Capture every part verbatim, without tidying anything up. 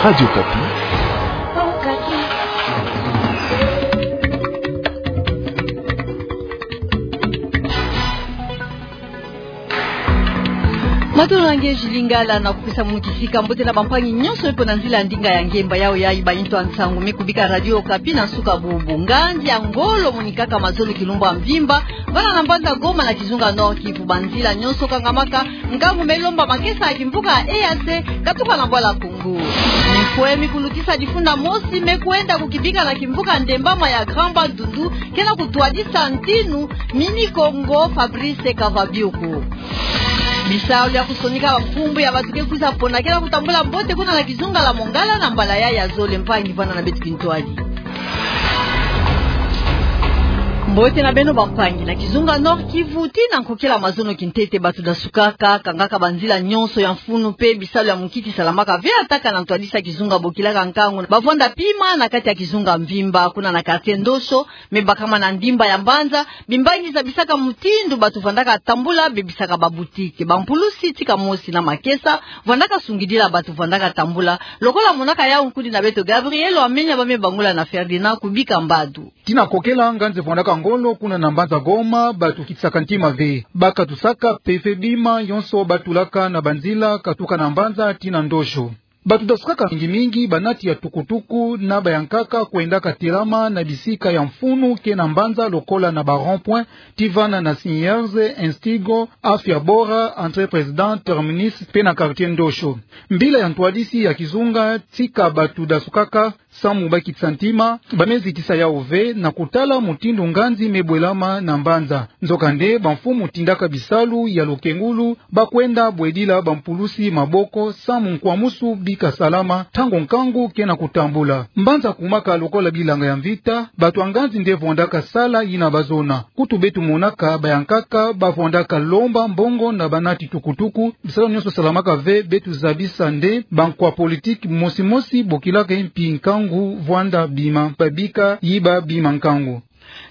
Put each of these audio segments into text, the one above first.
Radio Okapi. Matondo na nge Julie Ngala, na kupesa munu kisika mbote na bampangi nyonso mpe na nzila ya ndinga ya ngemba. Yayo yayi ba intu ya nsangu me kubika Radio Okapi na nsuka bubu. Nganzi ya ngolo monikaka mazono kilumbu ya mvimba, vana na mbanza Goma na kizunga Nord-Kivu, banzila nyonso kangamaka, nkangu me lomba makesa ya kimvuka ya E A C katuka na bwala Congo. Mifwe mi kulukisa difunda mosi me kwenda kukibika na kimvuka Ndembama ya Grand Bandundu, ke na kutwadisa ntinu Mini Congo Fabrice Kavabioko. Bisalu ya kusonika bamfumbu ya bato ke kwiza pona ke na kutambula mbote kuna na kizunga la Mongala na mbala yayi ya zole. Mpangi, vanda na beto kintwadi. Mbote na beno bampangi. Na kizunga Nord-Kivu, tii na nkokila mazono kintete, bato dasukaka, kangaka banzila nyonso ya mfunu mpe bisalu ya munkiti salamaka ve, ataka na ntwadisi ya kizunga bokilaka nkangu bavwanda pima na kati ya kizunga mvimba. Kuna na quartier Ndosho, me bakama na ndimba ya mbanza, bimbangi zabisaka mutindu bato vandaka tambula, bebisaka baboutique. Bampulusi tika mosi na makesa vandaka sungidila bato vandaka tambula, lokola monaka yau nkundi na beto Gabriel Wamenya, ba me bangula na Ferdinand Kubika Mbadu. Tii na kokela, nganzi evwandaka ngolo kuna na mbanza Goma, bato kitisaka ntima ve. Bakatusaka mpe ve bima yonso batulaka na banzila katuka na mbanza tii na Ndosho. Bato dasukaka mingi mingi, banati ya tukutuku na bayankaka kwendaka telama na bisika ya mfunu ke na mbanza, lokola na ba rond-point, tii vana na Siniers, Instigo, Afya Bora, Entrée Président, Terminus, mpe na quartier Ndosho. Mbila ya ntwadisi ya kizunga tika bato dasukaka samu bakitisa ntima, ba me zitisa yau ve na kutala mutindu nganzi me bwelama na mbanza. Nzokande, bamfumu tindaka bisalu ya lukengulu, bakwenda bwedila bampulusi maboko samu nkwamusu bika salama ntangu nkangu ke na kutambula. Mbanza kumaka lokola bilanga ya mvita, bato ya nganzi nde vwandaka sala yina bazona. Kutu beto monaka bayankaka bavwandaka lomba mbongo na banati tukutuku. Bisalu nyonso salamaka ve, beto zabisa nde bankwa politiki mosi mosi bokilaka mpi nkangu vwanda bima, babika yiba bima nkangu.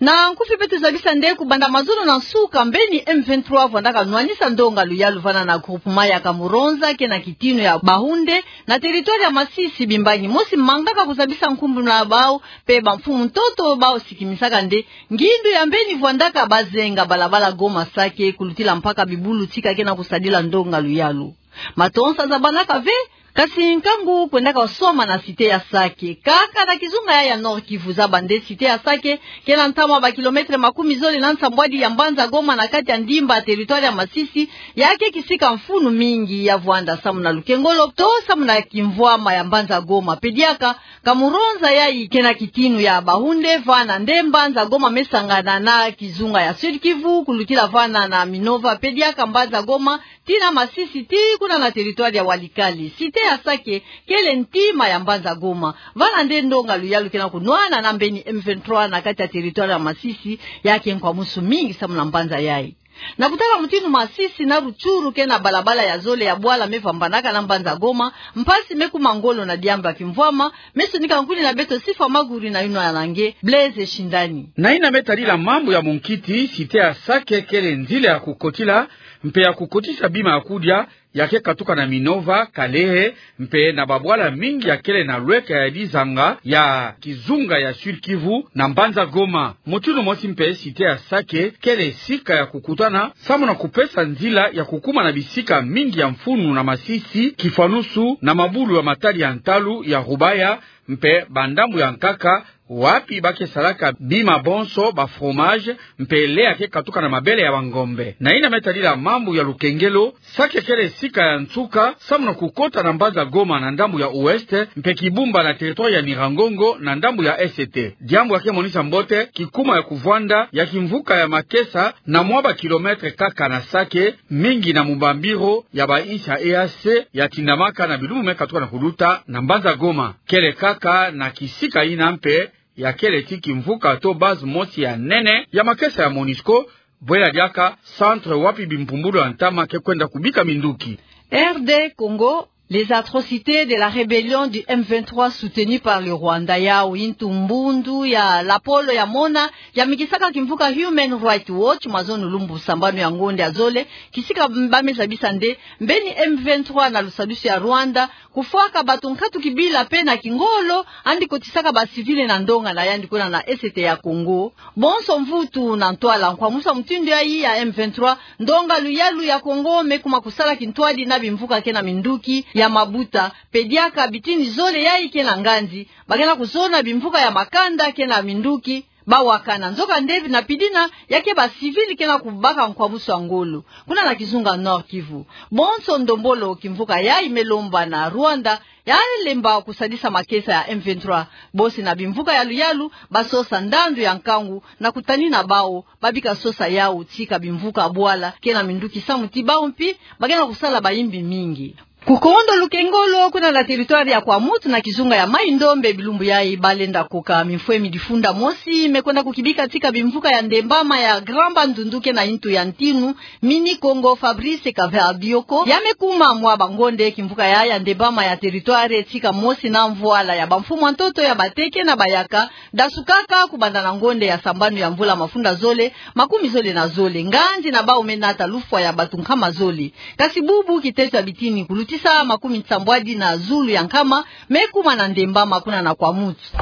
Na nkufi beto zabisa nde kubanda mazono na nsuka, mbeni M vingt-trois vwandaka nwanisa ndonga luyalu vana na groupement ya Kamuronza ke na kitinu ya Bahunde, na territoire ya Masisi. Bimbangi mosi mangaka kuzabisa nkumbu na bau, mpe bamfumu ntoto bau sikimisaka nde ngindu ya mbeni vwandaka bazenga balabala Goma Sake kulutila mpaka bibulu tika ke na kusadila ndonga luyalu. Matonsa zabanaka ve, kasi nkangu kwendaka swama na cité ya Sake. Kaka na kizunga ya, ya Nord-Kivu, zaba nde cité ya Sake ke na ntamu ya ba kilomètre makumi zole na nsambwadi ya mbanza Goma na kati ya ndimba territoire ya Masisi, ya ke kisika mfunu mingi ya vwanda samu na lukengolo to samu na kimvwama ya mbanza Goma. Mpe diaka Kamuronza yayi ke na kitinu ya Bahunde, vana nde mbanza Goma me sangana na kizunga ya Sud-Kivu, kulutila vana na Minova, mpe diaka mbanza Goma tii na Masisi, tii kuna na territoire ya Walikale. Cité ya Sake kele ntima ya mbanza Goma. Vana nde ndonga luyalu ke na kunwana na mbeni M vingt-trois na kati ya territoire ya Masisi, ya ke nkwamusu mingi samu na mbanza yayi. Na kutala mutindu Masisi na Rutshuru ke na balabala ya zole ya bwala me vambanaka na mbanza Goma, mpasi me kuma ngolo na diambu ya kimvwama, me sonika nkuni na beto Sifa Maguri na yinwa na nge Blaise Shindani. Na yina me tadila mambu ya munkiti, cité ya Sake kele nzila ya kukotila, mpe ya kukotisa bima ya kudia, ya ke katuka na Minova, Kalehe, mpe na babwala mingi ya kele na lweka ya dizanga ya kizunga ya Sud-Kivu na mbanza Goma. Mutindu mosi mpe, cité ya Sake kele sika ya kukutana samu na kupesa nzila ya kukuma na bisika mingi ya mfunu na Masisi, kifwanusu na mabulu ya matadi ya ntalu ya Rubaya, mpe bandambu ya nkaka, wapi ba ke salaka bima bonso, ba fromage, mpe lait ya ke katuka na mabele ya bangombe. Na yina me tadila mambu ya lukengelo, Sake kele sika ya nsuka samu na kukota na mbanza Goma na ndambu ya ouest, mpe Kibumba na territoire ya Nyiragongo na ndambu ya est. Diambu ya ke monisa mbote kikuma ya kuvwanda ya kimvuka ya makesa na mwa ba kilomètre kaka na Sake, mingi na mubambiro ya ba insi ya E A C ya tindamaka na bilumbu me katuka na kuluta na mbanza Goma. Kele kaka na kisika yina mpe ya kele ti kimvuka to base mosi ya nene ya makesa ya MONUSCO, bwela diaka centre wapi bimpumbulu ya ntama ke kwenda kubika minduki. R D Congo, Les atrocités de la rébellion du M vingt-trois soutenue par le Rwanda, yawu yintu mbundu ya lapolo ya mona yamikisaka kimvuka Human Rights Watch, mazono lumbu sambanu ya ngonde ya zole, kisika bameza bisa nde mbeni M vingt-trois na lusadusu ya Rwanda kufwaka bato nkatu kibila pe na kingolo, yandi kotisaka ba civils na ndonga na yandi kuna na Est ya Congo. Bonso mvutu na ntwala nkwamusu ya mutindu yayi ya M vingt-trois, ndonga luyalu ya Congo me kuma kusala kintwadi na bimvuka ke na minduki ya mabuta, pe diaka bitini zole yayi ke na nganzi, ba ke na kuzona bimvuka ya makanda ke na minduki, ba wakana. Nzokande na pidina, ya ke ba civils ke na kubaka nkwamusu ya ngolo kuna na kizunga Nord-Kivu. Bonso ndombolo kimvuka yayi me lomba na Rwanda ya lemba kusadisa makesa ya M vingt-trois, bosi na bimvuka ya luyalu, ba sosa ndandu ya nkangu na kutanina bawu, ba bika sosa yawu tika bimvuka bwala ke na minduki samu ti bawu mpi ba ke na kusala bayimbi mingi. Kukondo lukengolo kuna na territoire ya Kwamouth na kizunga ya Maï-Ndombe bilumbu yayi, ba lenda koka mifwemi difunda mosi me kwenda kukibika tika bimvuka ya Ndembama, ya Grand Bandundu ke na yintu ya ntinu, Mini Kongo Fabrice Kaviabiyoko, ya me kuma mwa bangonde kimvuka ya, ya Ndembama ya territoire tika mosi na mvwala ya bamfumu ya ntoto ya Bateke na Bayaka, dasukaka kubanda na ngonde ya sambanu ya mvula mafunda zole makumi zole na zole. Nganzi na bawu me nata lufwa ya bato nkama zole. Kasi bubu kiteso ya bitini kulutisa makumi nsambwadi na zulu ya nkama me kuma na Ndembama kuna na Kwamouth.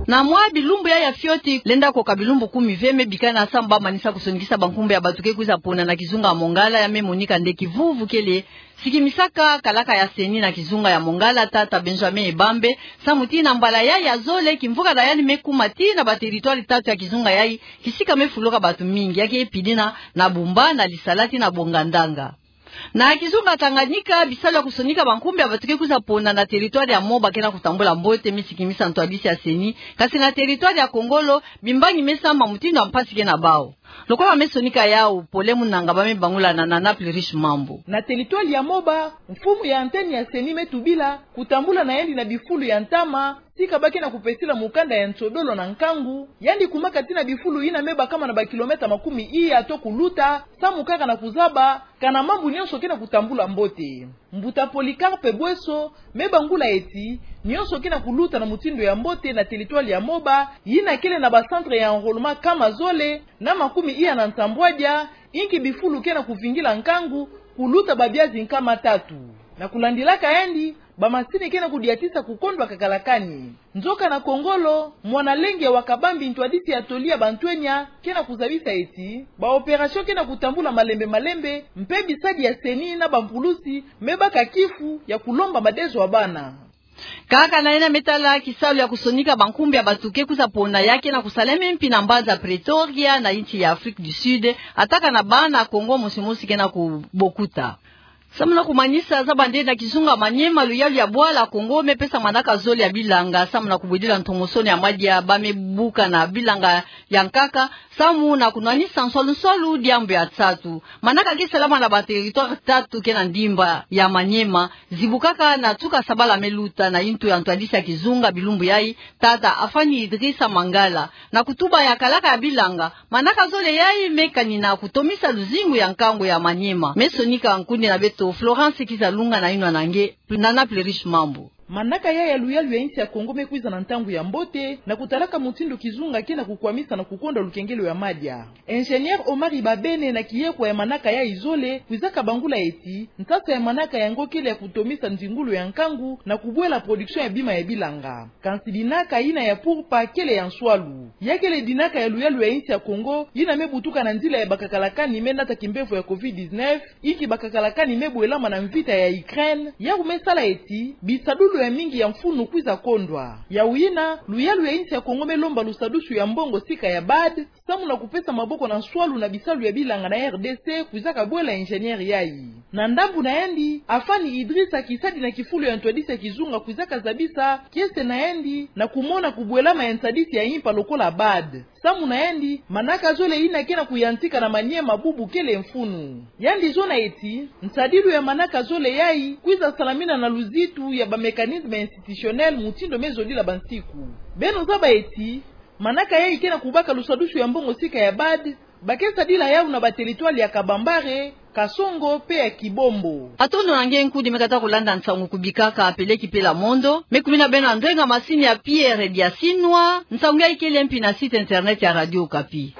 Na mwa bilumbu yayi ya fioti, lenda koka bilumbu kumi ve me bikana samu ba manisa kusonikisa bankumbu ya bato ke kwiza pona na kizunga ya Mongala, ya me monika nde kivuvu kele sikimisaka kalaka ya CENI na kizunga ya Mongala, tata Benjamin Ebambe, samu ti na mbala yayi ya zole kimvuka na yandi me kuma ti na ba territoire tatu ya kizunga yayi kisika me fuluka bato mingi, ya ke pidina na Bumba, na Lisala ti na Bongandanga. Na kizunga Tanganyika, bisalu ya kusonika bankumbu ya bato ke kwiza pona na territoire ya Moba ke na kutambula mbote, me sikimisa ntwadisi ya CENI. Kasi na territoire ya Kongolo, bimbangi me sambama mutindu ya mpasi ke na bawu. Lokola me sonika yawu, Pole Munanga, ba me bangula na Nana Plurish Mambu. Na territoire ya Moba, mfumu ya antenne ya CENI me tubila kutambula na yandi na bifulu ya ntama, tika ba ke na kupesila mukanda ya nsodolo na nkangu, yandi kumaka ti na bifulu yina me bakama na ba kilomètre makumi iya to kuluta, samu kaka na kuzaba kana mambu nyonso ke na kutambula mbote. Mbuta Polycarpe Bouesso me bangula ti nyonso ke na kuluta na mutindu ya mbote na territoire ya Moba, yina kele na ba centre ya enrôlement nkama zole na makumi iya na nsambwadia, inki bifulu ke na kuvingila nkangu kuluta babiazi nkama tatu. Na kulandilaka yandi, bamasini ke na kudiatisa kukondwa kakalakani. Nzoka na Kongolo, mwana lenge wa kabambi ntwadisi ya toli ya bantwenya ke na kuzabisa ti ba opération ke na kutambula malembe malembe, mpe bisadi ya CENI na bampulusi me baka kifu ya kulomba madezo ya bana. Kaka na yina me tala kisalu ya kusonika bankumbu ya bato ke kwiza pona, ya ke na kusalama mpi na mbanza Pretoria na insi ya Afrique du Sud, ataka na bana Kongo mosi mosi ke na kubokuta. Samu na kumanisa, zaba nde na kizunga Maniema, luyalu ya bwala Kongo me pesa manaka zole ya bilanga samu na kubwidila ntomosono ya madia ba me buka na bilanga ya nkaka, samu na kunwanisa nswalu nswalu diambu ya nsatu. Manaka ke salama na ba territoire tatu ke na ndimba ya Maniema, zibukaka na tuka sabala me luta na intu ya ntwadisi ya kizunga bilumbu yayi, tata Afani Idrissa Mangala. Na kutuba ya kalaka ya bilanga, manaka zole yayi me kanina kutomisa luzingu ya nkangu ya Maniema. Me sonika nkundi na beto Florence Kizalunga na yinwa na nge, Nana Plurish Mambu. Manaka yayi ya luyalu ya insi ya Kongo me kwiza na ntangu ya mbote, na kutalaka mutindu kizunga ke na kukwamisa na kukondwa lukengelo ya madia. Ingénieur Omari Babene, na kiyekwa ya manaka yayi zole, kwizaka bangula ti nsasa ya manaka yango kele ya kutomisa nzingulu ya nkangu na kubwela production ya bima ya bilanga. Kansi dinaka yina ya purpa kele ya nswalu. Ya kele dinaka ya luyalu ya insi ya Kongo yina me butuka na nzila ya bakakalakani me nata kimbevo ya covid dix-neuf, inki bakakalakani me bwelama na mvita ya Ukraine, yaku me sala ti bisadulu ya mingi ya mfunu kwiza kondwa. Yawu yina, luyalu ya insi ya Kongo me lomba lusadusu ya mbongo sika ya BAD, samu na kupesa maboko na nswalu na bisalu ya bilanga na R D C, kwizaka bwela ingénieur yayi. Na ndambu na yandi, Afani Idrissa, kisadi na kifulu ya ntwadisi ya kizunga, kwizaka zabisa kiese na yandi na kumona kubwelama ya nsadisi ya impa lokola BAD. Samu na yandi, manaka zole yina ke na kuyantika na Maniema bubu kele mfunu. Yandi zona ti nsadilu ya manaka zole yayi kwiza salamina na luzitu ya ba mécanisme institutionnel mutindu me zodila bansiku. Beno zaba ti manaka yayi ke na kubaka lusadusu ya mbongo sika ya BAD, ba ke sadila yawu na ba territoire ya Kabambare, Kasongo pe ya Kibombo. Matondo na nge nkundi me kata kulanda nsangu kubika ka peleki pela mondo. Me kumina beno na ndwenga masini ya Pierre Diasinwa. Nsangu ya ikele mpi na site internet ya Radio Okapi.